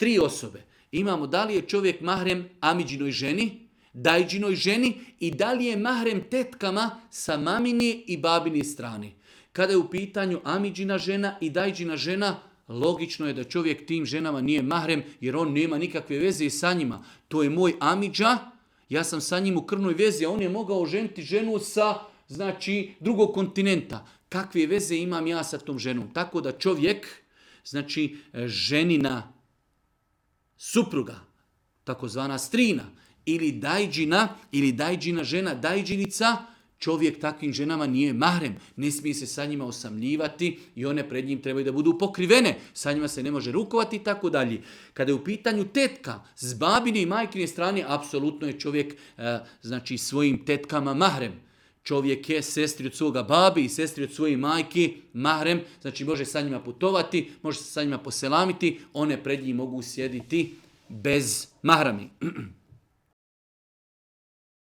tri osobe. Imamo da li je čovjek mahrem amidžinoj ženi, dajđinoj ženi i da li je mahrem tetkama sa mamini i babini strani. Kada je u pitanju amidžina žena i dajđina žena, logično je da čovjek tim ženama nije mahrem jer on nema nikakve veze sa njima. To je moj amidža, ja sam sa njim u krvnoj vezi, a on je mogao ženiti ženu sa drugog kontinenta. Kakve veze imam ja sa tom ženom? Tako da čovjek, ženina supruga, takozvana strina, ili dajđina žena, dajđinica, čovjek takvim ženama nije mahrem. Ne smije se sa njima osamljivati i one pred njim trebaju da budu pokrivene. Sa njima se ne može rukovati i tako dalje. Kada je u pitanju tetka, s babine i majkine strane, apsolutno je čovjek svojim tetkama mahrem. Čovjek je sestri od svoga babi i sestri od svoje majke mahrem, znači može sa njima putovati, može se sa njima poselamiti, one pred njim mogu sjediti bez mahrami.